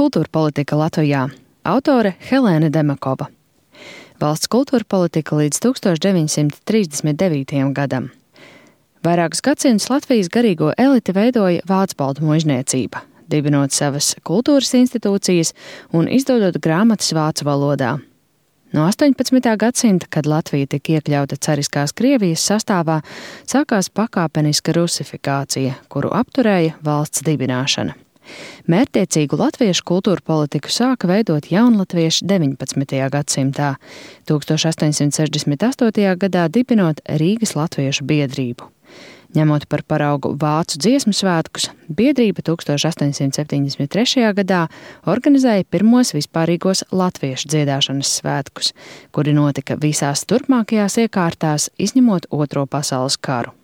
Kultūra politika Latvijā. Autore Helēne Demakova. Valsts kultūra politika līdz 1939. gadam. Vairākus gadsimtus Latvijas garīgo eliti veidoja vācbaltu muižniecība, dibinot savas kultūras institūcijas un izdodot grāmatas vācu valodā. No 18. gadsimta, kad Latvija tika iekļauta cariskās Krievijas sastāvā, sākās pakāpeniska rusifikācija, kuru apturēja valsts dibināšana. Mērķtiecīgu latviešu kultūra politiku sāka veidot jaunatvieši 19. gadsimtā, 1868. gadā dibinot Rīgas latviešu biedrību. Ņemot par paraugu vācu dziesmu svētkus, biedrība 1873. gadā organizēja pirmos vispārīgos latviešu dziedāšanas svētkus, kuri notika visās turpmākajās iekārtās, izņemot Otro pasaules karu.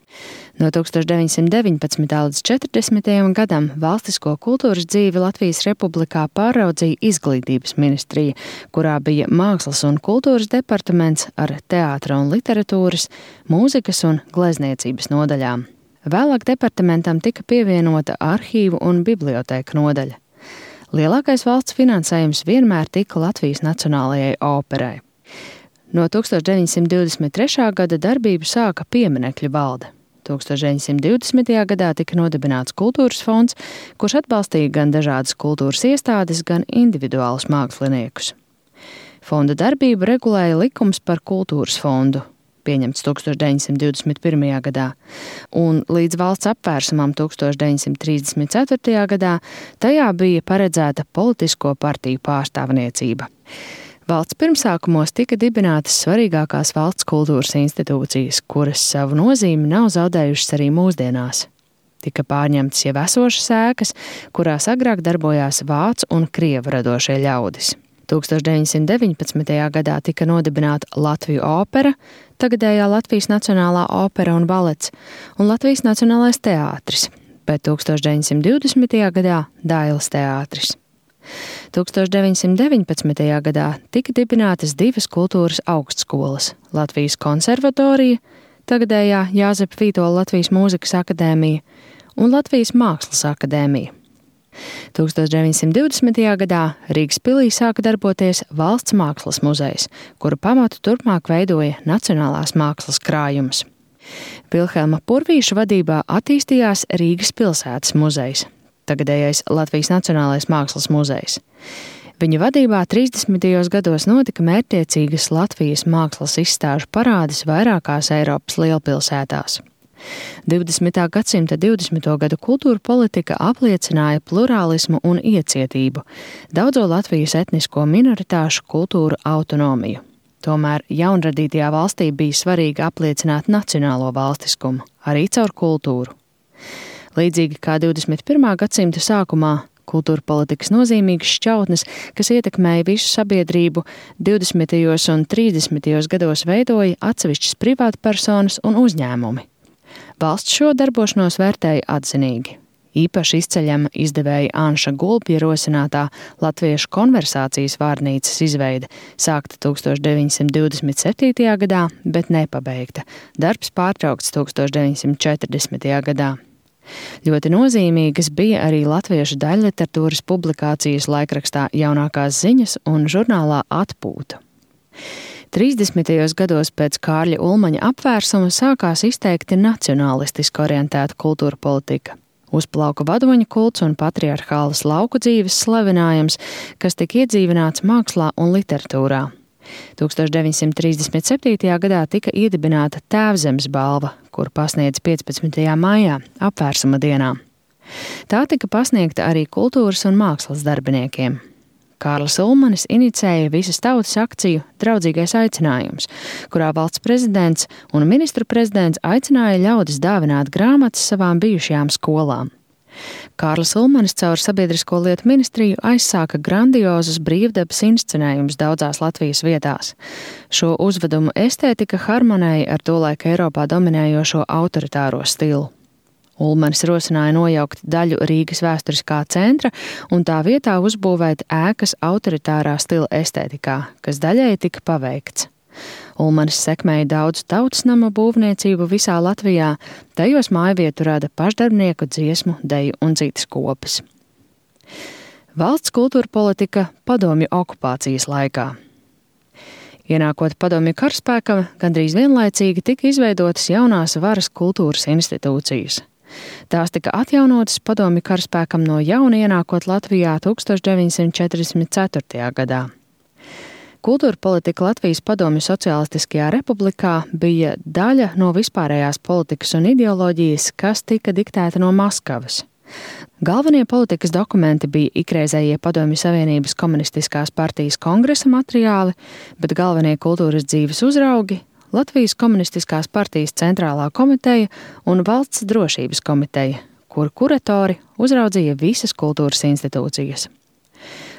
No 1919. līdz 40. gadam valstisko kultūras dzīvi Latvijas Republikā pāraudzīja Izglītības ministrija, kurā bija mākslas un kultūras departaments ar teātra un literatūras, mūzikas un glezniecības nodaļām. Vēlāk departamentam tika pievienota arhīvu un bibliotēku nodaļa. Lielākais valsts finansējums vienmēr tika Latvijas Nacionālajai operai. No 1923. gada darbību sāka pieminekļu valde. 1920. gadā tika nodibināts kultūras fonds, kurš atbalstīja gan dažādas kultūras iestādes, gan individuālus māksliniekus. Fonda darbību regulēja likums par kultūras fondu, pieņemts 1921. gadā, un līdz valsts apvērsumam 1934. gadā tajā bija paredzēta politisko partiju pārstāvniecība. Valsts pirmsākumos tika dibinātas svarīgākās valsts kultūras institūcijas, kuras savu nozīmi nav zaudējušas arī mūsdienās. Tika pārņemtas jau esošas ēkas, kurās agrāk darbojās vācu un krievu radošie ļaudis. 1919. gadā tika nodibināta Latviju opera, tagadējā Latvijas Nacionālā opera un balets, un Latvijas Nacionālais teātris, bet 1920. gadā Dailes teātris. 1919. gadā tika dibinātas divas kultūras augstskolas – Latvijas konservatorija, tagadējā Jāzepa Vītola Latvijas mūzikas akadēmija un Latvijas mākslas akadēmija. 1920. gadā Rīgas pilī sāka darboties Valsts mākslas muzejs, kuru pamatu turpmāk veidoja Nacionālās mākslas krājums. Vilhelma Purvīša vadībā attīstījās Rīgas pilsētas muzejs, tagadējais Latvijas Nacionālais mākslas muzejs. Viņa vadībā 30. gados notika mērķtiecīgas Latvijas mākslas izstāžu parādes vairākās Eiropas lielpilsētās. 20. gadsimta 20. gadu kultūra politika apliecināja plurālismu un iecietību, daudzo Latvijas etnisko minoritāšu kultūru autonomiju. Tomēr jaunradītajā valstī bija svarīgi apliecināt nacionālo valstiskumu, arī caur kultūru. Līdzīgi kā 21. gadsimta sākumā, kultūra politikas nozīmīgas šķautnes, kas ietekmēja visu sabiedrību, 20. un 30. gados veidoja atsevišķas privātpersonas un uzņēmumi. Valsts šo darbošanos vērtēja atzinīgi. Īpaši izceļama izdevēja Anša Gulbja rosinātā Latviešu konversācijas vārnīcas izveide, sākta 1927. gadā, bet nepabeigta. Darbs pārtraukts 1940. gadā. Ļoti nozīmīgas bija arī latviešu daļliteratūras publikācijas laikrakstā Jaunākās ziņas un žurnālā Atpūta. 30. gados pēc Kārļa Ulmaņa apvērsuma sākās izteikti nacionālistiski orientēta kultūra politika. Uzplauka vadoņa kults un patriarchālas lauku dzīves slavinājums, kas tika iedzīvināts mākslā un literatūrā. 1937. gadā tika iedibināta Tēvzemes balva, kur pasniedz 15. maijā, apvērsuma dienā. Tā tika pasniegta arī kultūras un mākslas darbiniekiem. Kārlis Ulmanis inicēja visas tautas akciju Draudzīgais aicinājums, kurā valsts prezidents un ministru prezidents aicināja ļaudis dāvināt grāmatas savām bijušajām skolām. Kārlis Ulmanis caur Sabiedrisko lietu ministriju aizsāka grandiozus brīvdabas inscenējumus daudzās Latvijas vietās. Šo uzvedumu estētika harmonēja ar tolaik Eiropā dominējošo autoritāro stilu. Ulmanis rosināja nojaukt daļu Rīgas vēsturiskā centra un tā vietā uzbūvēt ēkas autoritārā stila estētikā, kas daļēji tika paveikts. Ulmanis sekmēja daudz tautas nama būvniecību visā Latvijā, tajos mājvietu rada pašdarbnieku dziesmu, deju un citas kopas. Valsts kultūra politika padomju okupācijas laikā. Ienākot padomju karaspēkam, gandrīz vienlaicīgi tika izveidotas jaunās varas kultūras institūcijas. Tās tika atjaunotas padomju karaspēkam no jauna ienākot Latvijā 1944. gadā. Kultūra politika Latvijas Padomju Socialistiskajā republikā bija daļa no vispārējās politikas un ideoloģijas, kas tika diktēta no Maskavas. Galvenie politikas dokumenti bija ikreizējie Padomju Savienības komunistiskās partijas kongresa materiāli, bet galvenie kultūras dzīves uzraugi – Latvijas komunistiskās partijas centrālā komiteja un valsts drošības komiteja, kur kuratori uzraudzīja visas kultūras institūcijas.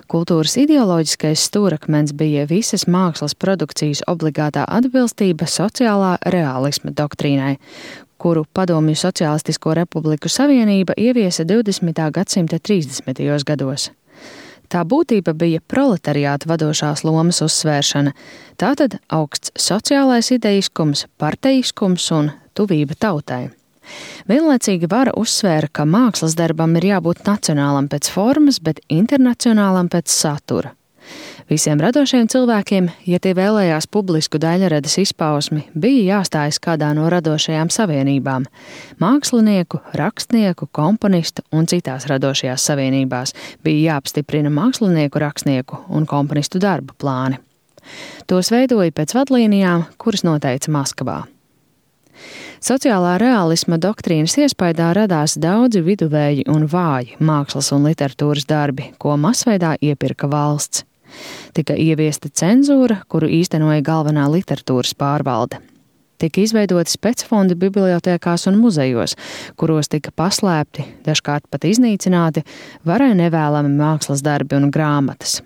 Kultūras ideoloģiskais stūrakmens bija visas mākslas produkcijas obligātā atbilstība sociālā reālisma doktrīnai, kuru Padomju Socialistisko Republiku Savienība ieviesa 20. gadsimta 30. gados. Tā būtība bija proletariāta vadošās lomas uzsvēršana, tātad augsts sociālais idejiskums, parteiskums un tuvība tautai. Vienlaicīgi vara uzsvēra, ka mākslas darbam ir jābūt nacionālam pēc formas, bet internacionālam pēc satura. Visiem radošiem cilvēkiem, ja tie vēlējās publisku daļradas izpausmi, bija jāstājas kādā no radošajām savienībām – mākslinieku, rakstnieku, komponistu un citās radošajās savienībās bija jāapstiprina mākslinieku, rakstnieku un komponistu darba plāni. Tos veidoja pēc vadlīnijām, kuras noteica Maskavā. Sociālā reālisma doktrīnas iespaidā radās daudzi viduvēji un vāji mākslas un literatūras darbi, ko masveidā iepirka valsts. Tika ieviesta cenzūra, kuru īstenoja galvenā literatūras pārvalde. Tika izveidoti specfondi bibliotēkās un muzejos, kuros tika paslēpti, dažkārt pat iznīcināti, varai nevēlami mākslas darbi un grāmatas.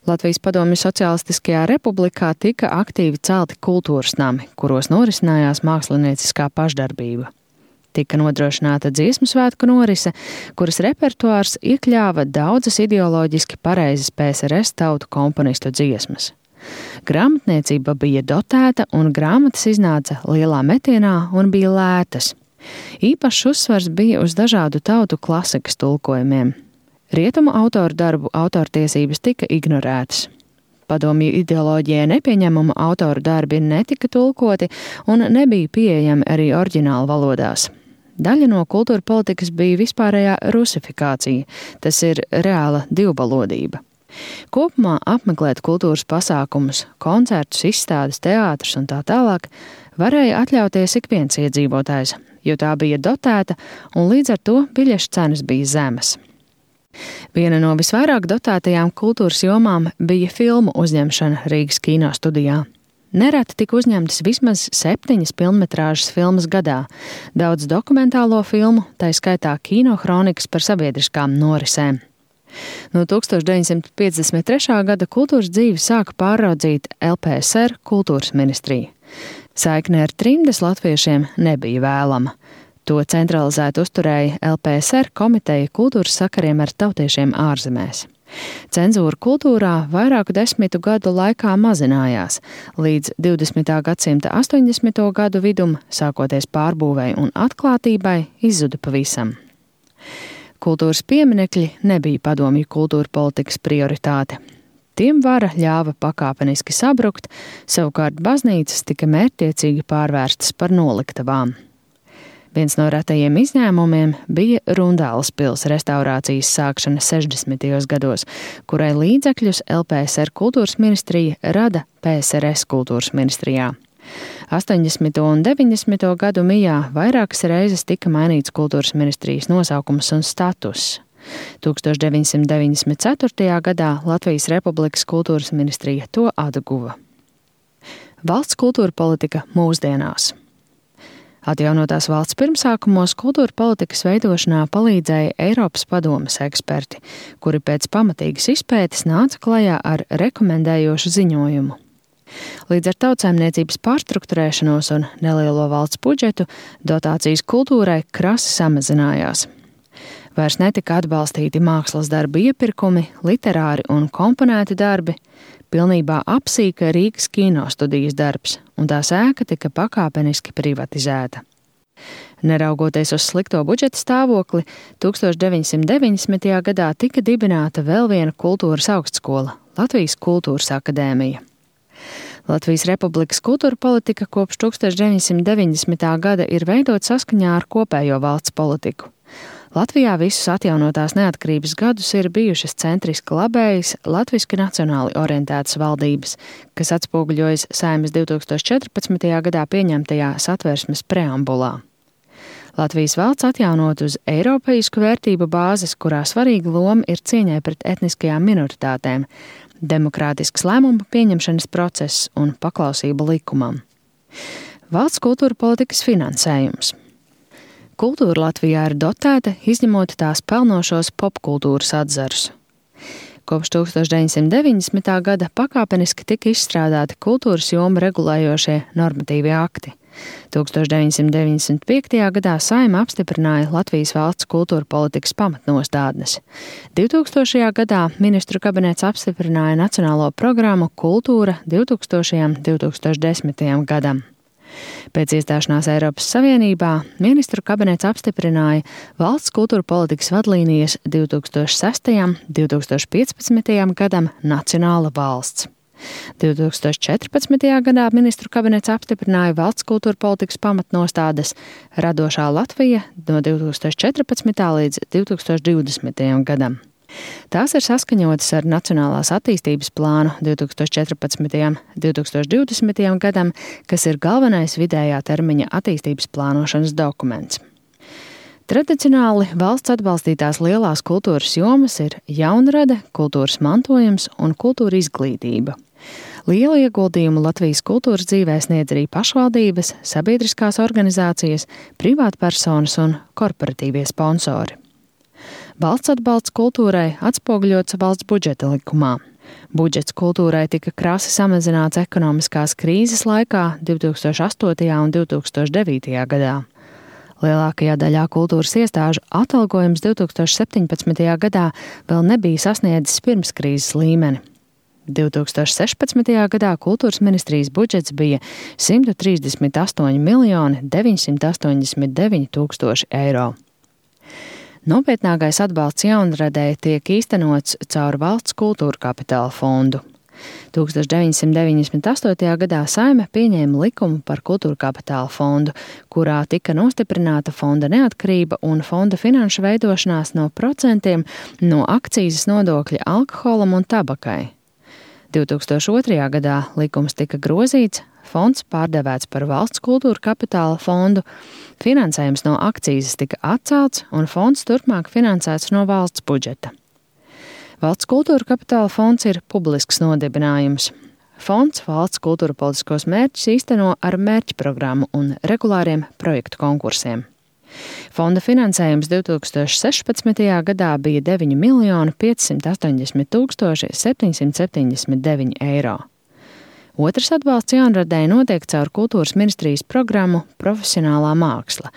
Latvijas Padomju Socialistiskajā republikā tika aktīvi celti kultūras nami, kuros norisinājās mākslinieciskā pašdarbība. Tika nodrošināta dziesmu svētku norise, kuras repertuārs iekļāva daudzas ideoloģiski pareizas PSRS tautu komponistu dziesmas. Grāmatniecība bija dotēta un grāmatas iznāca lielā metienā un bija lētas. Īpašs uzsvars bija uz dažādu tautu klasikas tulkojumiem. Rietumu autoru darbu autortiesības tika ignorētas. Padomju ideoloģijai nepieņemama autoru darbi netika tulkoti un nebija pieejami arī oriģināla valodās. Daļa no kultūra politikas bija vispārējā rusifikācija, tas ir reāla divvalodība. Kopumā apmeklēt kultūras pasākumus, koncertus, izstādes, teātrus un tā tālāk varēja atļauties ik viens iedzīvotājs, jo tā bija dotēta un līdz ar to biļešu cenas bija zemes. Viena no visvairāk dotētajām kultūras jomām bija filmu uzņemšana Rīgas kino studijā. Nereti tika uzņemtas vismaz 7 pilnmetrāžas filmas gadā, daudz dokumentālo filmu, tai skaitā kino kronikas par sabiedriskām norisēm. No 1953. gada kultūras dzīvi sāka pāraudzīt LPSR kultūras ministrija. Saikne ar trimdes latviešiem nebija vēlama. To centralizēt uzturēja LPSR komiteja kultūras sakariem ar tautiešiem ārzemēs. Cenzūra kultūrā vairāku desmitu gadu laikā mazinājās, līdz 20. gadsimta 80. gadu vidum, sākoties pārbūvei un atklātībai, izzuda pavisam. Kultūras pieminekļi nebija padomju kultūra politikas prioritāte. Tiem vara ļāva pakāpeniski sabrukt, savukārt baznīcas tika mērķtiecīgi pārvērstas par noliktavām. Viens no retajiem izņēmumiem bija Rundāles pils restaurācijas sākšana 60. gados, kurai līdzekļus LPSR kultūras ministrija rada PSRS kultūras ministrijā. 80. un 90. gadu mijā vairākas reizes tika mainīts kultūras ministrijas nosaukums un status. 1994. gadā Latvijas Republikas kultūras ministrija to atguva. Valsts kultūra politika mūsdienās. Atjaunotās valsts pirmsākumos kultūra politikas veidošanā palīdzēja Eiropas padomes eksperti, kuri pēc pamatīgas izpētes nāca klajā ar rekomendējošu ziņojumu. Līdz ar tautsaimniecības pārstrukturēšanos un nelielo valsts budžetu dotācijas kultūrai krasi samazinājās. Vairs netika atbalstīti mākslas darbu iepirkumi, literāri un komponēti darbi, pilnībā apsīka Rīgas kino studijas darbs, un tās ēka tika pakāpeniski privatizēta. Neraugoties uz slikto budžeta stāvokli, 1990. gadā tika dibināta vēl viena kultūras augstskola – Latvijas Kultūras akadēmija. Latvijas Republikas kultūra politika kopš 1990. gada ir veidot saskaņā ar kopējo valsts politiku. Latvijā visus atjaunotās neatkarības gadus ir bijušas centriski labējas, latviski nacionāli orientētas valdības, kas atspoguļojas Saeimas 2014. gadā pieņemtajā Satversmes preambulā. Latvijas valsts atjaunot uz eiropeisku vērtību bāzes, kurā svarīga loma ir cieņai pret etniskajām minoritātēm, demokrātisks lēmumu pieņemšanas process un paklausība likumam. Valsts kultūra politikas finansējums. Kultūra Latvijā ir dotēta, izņemot tās pelnošos popkultūras atzarus. Kopš 1990. gada pakāpeniski tika izstrādāti kultūras jomu regulējošie normatīvie akti. 1995. gadā Saeima apstiprināja Latvijas valsts kultūra politikas pamatnostādnes. 2000. gadā ministru kabinets apstiprināja nacionālo programmu Kultūra 2000–2010. gadam. Pēc iestāšanās Eiropas Savienībā ministru kabinets apstiprināja valsts kultūra politikas vadlīnijas 2006–2015. gadam Nacionāla valsts. 2014. gadā ministru kabinets apstiprināja valsts kultūra politikas pamatnostādes Radošā Latvija no 2014. līdz 2020. gadam. Tās ir saskaņotas ar Nacionālās attīstības plānu 2014–2020. gadam, kas ir galvenais vidējā termiņa attīstības plānošanas dokuments. Tradicionāli valsts atbalstītās lielās kultūras jomas ir jaunrade, kultūras mantojums un kultūra izglītība. Lielu ieguldījumu Latvijas kultūras dzīvē sniedz arī pašvaldības, sabiedriskās organizācijas, privātpersonas un korporatīvie sponsori. Valsts atbalsts kultūrai atspoguļots valsts budžeta likumā. Budžets kultūrai tika krasi samazināts ekonomiskās krīzes laikā 2008. un 2009. gadā. Lielākajā daļā kultūras iestāžu atalgojums 2017. gadā vēl nebija sasniedzis pirmskrīzes līmeni. 2016. gadā kultūras ministrijas budžets bija 138,989 eiro. Nopietnākais atbalsts jaunradēji tiek īstenots caur valsts kultūra kapitāla fondu. 1998. gadā Saeima pieņēma likumu par kultūra kapitāla fondu, kurā tika nostiprināta fonda neatkarība un fonda finanšu veidošanās no procentiem no akcīzes nodokļa alkoholam un tabakai. 2002. gadā likums tika grozīts, fonds pārdevēts par valsts kultūra kapitāla fondu, finansējums no akcīzes tika atcelts un fonds turpmāk finansēts no valsts budžeta. Valsts kultūra kapitāla fonds ir publisks nodibinājums. Fonds valsts kultūra politiskos mērķus īsteno ar mērķprogrammu un regulāriem projektu konkursiem. Fonda finansējums 2016. gadā bija 9,580,779 eiro. Otrs atbalsts jaunradēji notiek caur kultūras ministrijas programmu Profesionālā māksla,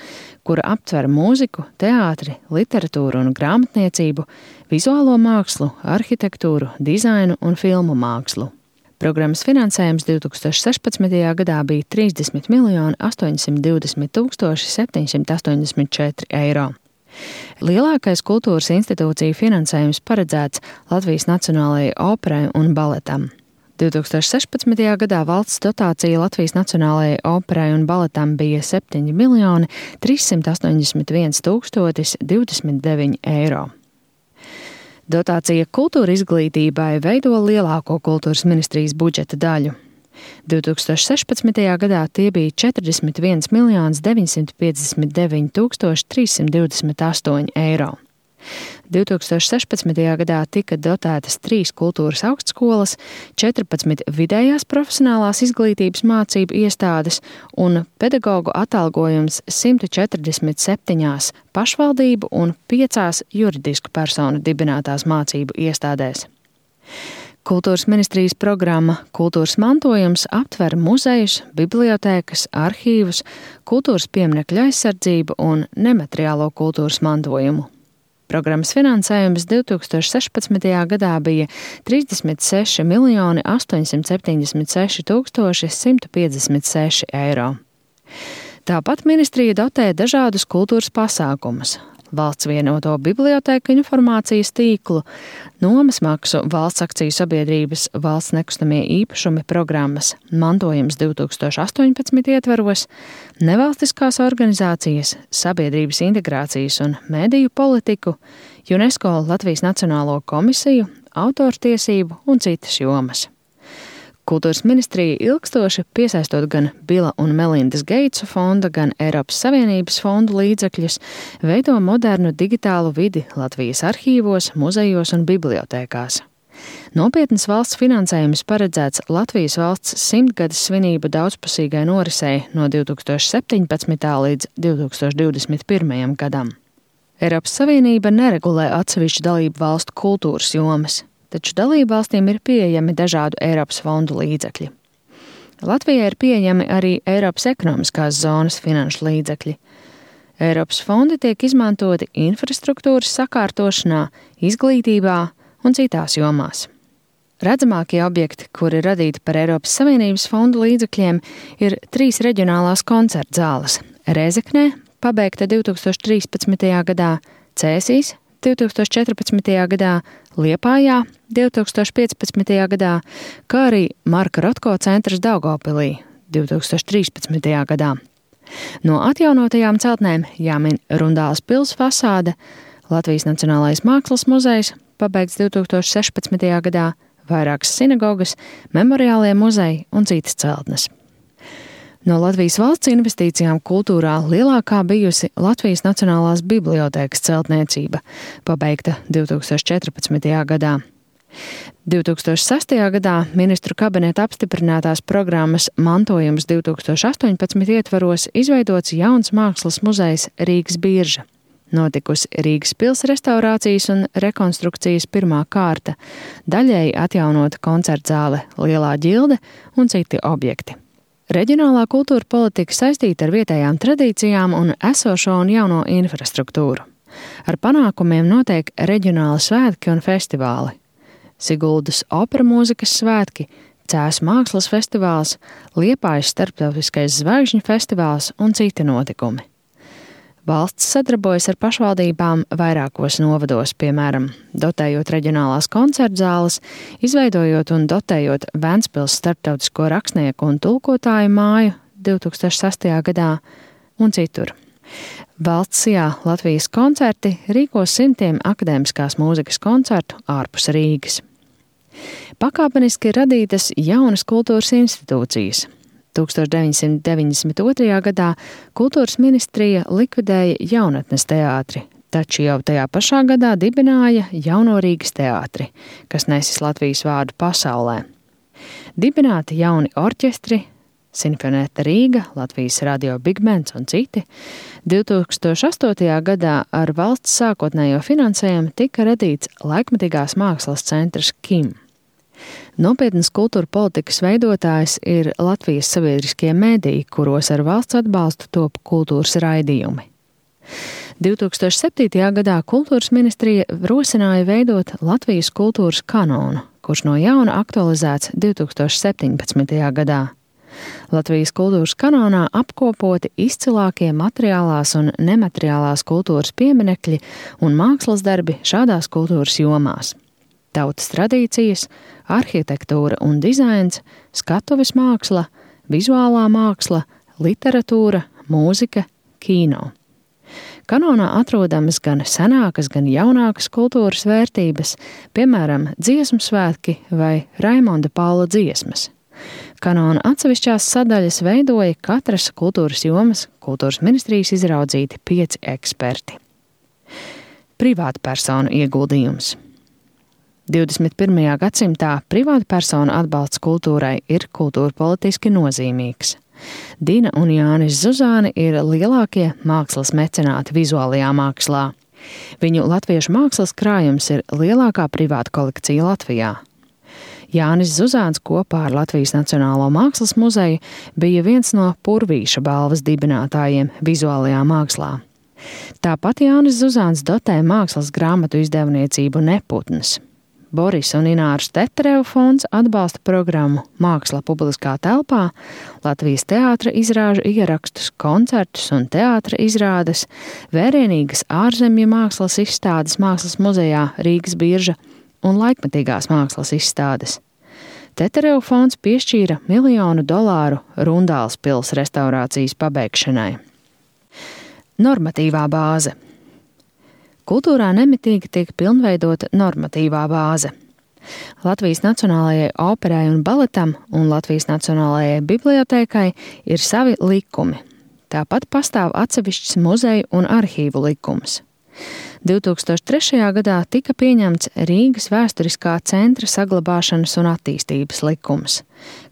kura aptver mūziku, teātri, literatūru un grāmatniecību, vizuālo mākslu, arhitektūru, dizainu un filmu mākslu. Programmas finansējums 2016. gadā bija 30,820,784 eiro. Lielākais kultūras institūciju finansējums paredzēts Latvijas Nacionālajai operai un baletam. 2016. gadā valsts dotācija Latvijas Nacionālajai operai un baletam bija 7,381,029 eiro. Dotācija kultūra izglītībai veido lielāko kultūras ministrijas budžeta daļu. 2016. gadā tie bija 41,959,328 eiro. 2016. gadā tika dotētas 3 kultūras augstskolas, 14 vidējās profesionālās izglītības mācību iestādes un pedagogu atalgojums 147 pašvaldību un 5 juridisku personu dibinātās mācību iestādēs. Kultūras ministrijas programma Kultūras mantojums aptver muzejus, bibliotēkas, arhīvus, kultūras pieminekļu aizsardzību un nemateriālo kultūras mantojumu. Programmas finansējums 2016. gadā bija 36,876,156 eiro. Tāpat ministrija dotē dažādus kultūras pasākumus. Valsts vienoto bibliotēku informācijas tīklu, nomas maksu valsts akciju sabiedrības valsts nekustamie īpašumi programmas Mantojums 2018 ietvaros, nevalstiskās organizācijas, sabiedrības integrācijas un mediju politiku, UNESCO Latvijas Nacionālo komisiju, autortiesību un citas jomas. Kultūras ministrija ilgstoši piesaistot gan Bila un Melindas Geitsu fonda, gan Eiropas Savienības fondu līdzekļus, veido modernu digitālu vidi Latvijas arhīvos, muzejos un bibliotēkās. Nopietnas valsts finansējums paredzēts Latvijas valsts 100-gades svinību daudzpusīgai norisei no 2017. līdz 2021. gadam. Eiropas Savienība neregulē atsevišķu dalību valstu kultūras jomas, taču dalību valstīm ir pieejami dažādu Eiropas fondu līdzekļi. Latvijai ir pieejami arī Eiropas ekonomiskās zonas finanšu līdzekļi. Eiropas fondi tiek izmantoti infrastruktūras sakārtošanā, izglītībā un citās jomās. Redzamākie objekti, kuri radīti par Eiropas Savienības fondu līdzekļiem, ir 3 reģionālās koncerta zāles – Rēzeknē, pabeigta 2013. gadā, Cēsīs 2014. gadā, Liepājā 2015. gadā, kā arī Marka Rotko centrs Daugavpilī 2013. gadā. No atjaunotajām celtnēm jāmin Rundāles pils fasāde, Latvijas Nacionālais mākslas muzejs, pabeigts 2016. gadā, vairākas sinagogas, memoriālie muzeji un citas celtnes. No Latvijas valsts investīcijām kultūrā lielākā bijusi Latvijas Nacionālās bibliotēkas celtniecība, pabeigta 2014. gadā. 2006. gadā ministru kabineta apstiprinātās programmas Mantojums 2018 ietvaros izveidots jauns mākslas muzejs Rīgas Birža. Notikusi Rīgas pils restaurācijas un rekonstrukcijas pirmā kārta, daļēji atjaunota koncertzāle Lielā ģilde un citi objekti. Reģionālā kultūra politika saistīta ar vietējām tradīcijām un esošo un jauno infrastruktūru. Ar panākumiem notiek reģionāli svētki un festivāli. Siguldas opera mūzikas svētki, Cēsu mākslas festivāls, Liepājas starptautiskais zvaigžņu festivāls un citi notikumi. Valsts sadarbojas ar pašvaldībām vairākos novados, piemēram, dotējot reģionālās koncertzāles, izveidojot un dotējot Ventspils starptautisko rakstnieku un tulkotāju māju 2006. gadā un citur. Valsts sijā Latvijas koncerti rīkos simtiem akadēmiskās mūzikas koncertu ārpus Rīgas. Pakāpeniski ir radītas jaunas kultūras institūcijas. 1992. gadā Kultūras ministrija likvidēja Jaunatnes teātri, taču jau tajā pašā gadā dibināja Jauno Rīgas teātri, kas nesis Latvijas vārdu pasaulē. Dibināti jauni orķestri, Sinfonēta Rīga, Latvijas radio Big Bands un citi. 2008. gadā ar valsts sākotnējo finansējumu tika radīts laikmetīgās mākslas centrs KIM. Nopietnas kultūra politikas veidotājs ir Latvijas sabiedriskie mediji, kuros ar valsts atbalstu top kultūras raidījumi. 2007. gadā Kultūras ministrija rosināja veidot Latvijas kultūras kanonu, kurš no jauna aktualizēts 2017. gadā. Latvijas kultūras kanonā apkopoti izcilākie materiālās un nemateriālās kultūras pieminekļi un mākslas darbi šādās kultūras jomās. Tautas tradīcijas, arhitektūra un dizains, skatuves māksla, vizuālā māksla, literatūra, mūzika, kino. Kanonā atrodamas gan senākas, gan jaunākas kultūras vērtības, piemēram, dziesmu svētki vai Raimonda Paula dziesmas. Kanona atsevišķās sadaļas veidoja katras kultūras jomas Kultūras ministrijas izraudzīti 5 eksperti. Privātpersonu ieguldījums. 21. gadsimtā privātpersonu atbalsts kultūrai ir kultūrpolitiski nozīmīgs. Dina un Jānis Zuzāni ir lielākie mākslas mecenāti vizuālajā mākslā. Viņu latviešu mākslas krājums ir lielākā privāta kolekcija Latvijā. Jānis Zuzāns kopā ar Latvijas Nacionālo mākslas muzeju bija viens no Purvīša balvas dibinātājiem vizuālajā mākslā. Tāpat Jānis Zuzāns dotē mākslas grāmatu izdevniecību Neputns. Boris un Ināras Teterevu fonds atbalsta programmu Māksla publiskā telpā, Latvijas teātra izrāžu ierakstus, koncertus un teātra izrādes, vērienīgas ārzemju mākslas izstādes Mākslas muzejā Rīgas Birža un laikmetīgās mākslas izstādes. Teterevu fonds piešķīra $1 miljonu Rundāles pils restaurācijas pabeigšanai. Normatīvā bāze. Kultūrā nemitīgi tiek pilnveidota normatīvā bāze. Latvijas Nacionālajai operai un baletam un Latvijas Nacionālajai bibliotēkai ir savi likumi. Tāpat pastāv atsevišķs muzeju un arhīvu likums. 2003. gadā tika pieņemts Rīgas vēsturiskā centra saglabāšanas un attīstības likums,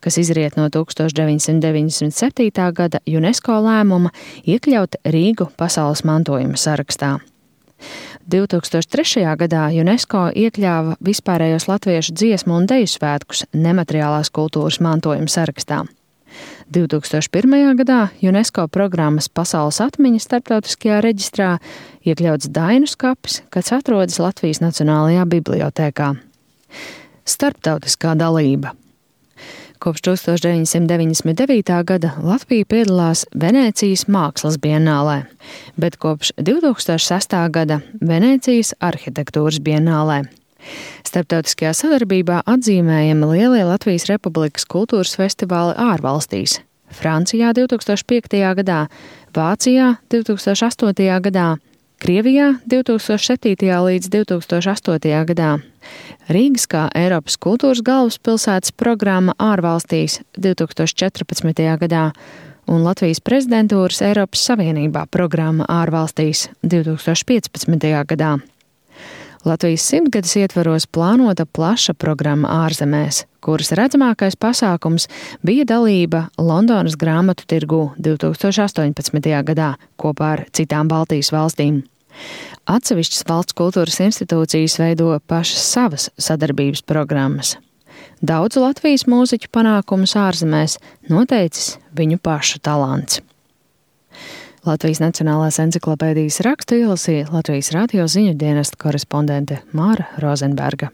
kas izriet no 1997. gada UNESCO lēmuma iekļaut Rīgu pasaules mantojuma sarakstā. 2003. gadā UNESCO iekļāva vispārējos latviešu dziesmu un deju svētkus nemateriālās kultūras mantojuma sarakstā. 2001. gadā UNESCO programmas Pasaules atmiņa starptautiskajā reģistrā iekļauts Dainu skapis, kas atrodas Latvijas Nacionālajā bibliotēkā. Starptautiskā dalība. Kopš 1999. gada Latvija piedalās Venēcijas mākslas bienālē, bet kopš 2006. gada Venēcijas arhitektūras bienālē. Starptautiskajā sadarbībā atzīmējami lielie Latvijas Republikas kultūras festivāli ārvalstīs – Francijā 2005. gadā, Vācijā 2008. gadā, Krievijā 2007. līdz 2008. gadā, Rīgas kā Eiropas kultūras galvaspilsētas programma ārvalstīs 2014. gadā un Latvijas prezidentūras Eiropas Savienībā programma ārvalstīs 2015. gadā. Latvijas 100-gades ietvaros plānota plaša programma ārzemēs, kuras redzamākais pasākums bija dalība Londonas grāmatu tirgū 2018. gadā kopā ar citām Baltijas valstīm. Atsevišķas valsts kultūras institūcijas veido pašas savas sadarbības programmas. Daudzu Latvijas mūziķu panākumus ārzemēs noteicis viņu pašu talants. Latvijas Nacionālās enциklopēdijas rakstu ielasīja Latvijas radio ziņu dienesta korespondente Māra Rozenberga.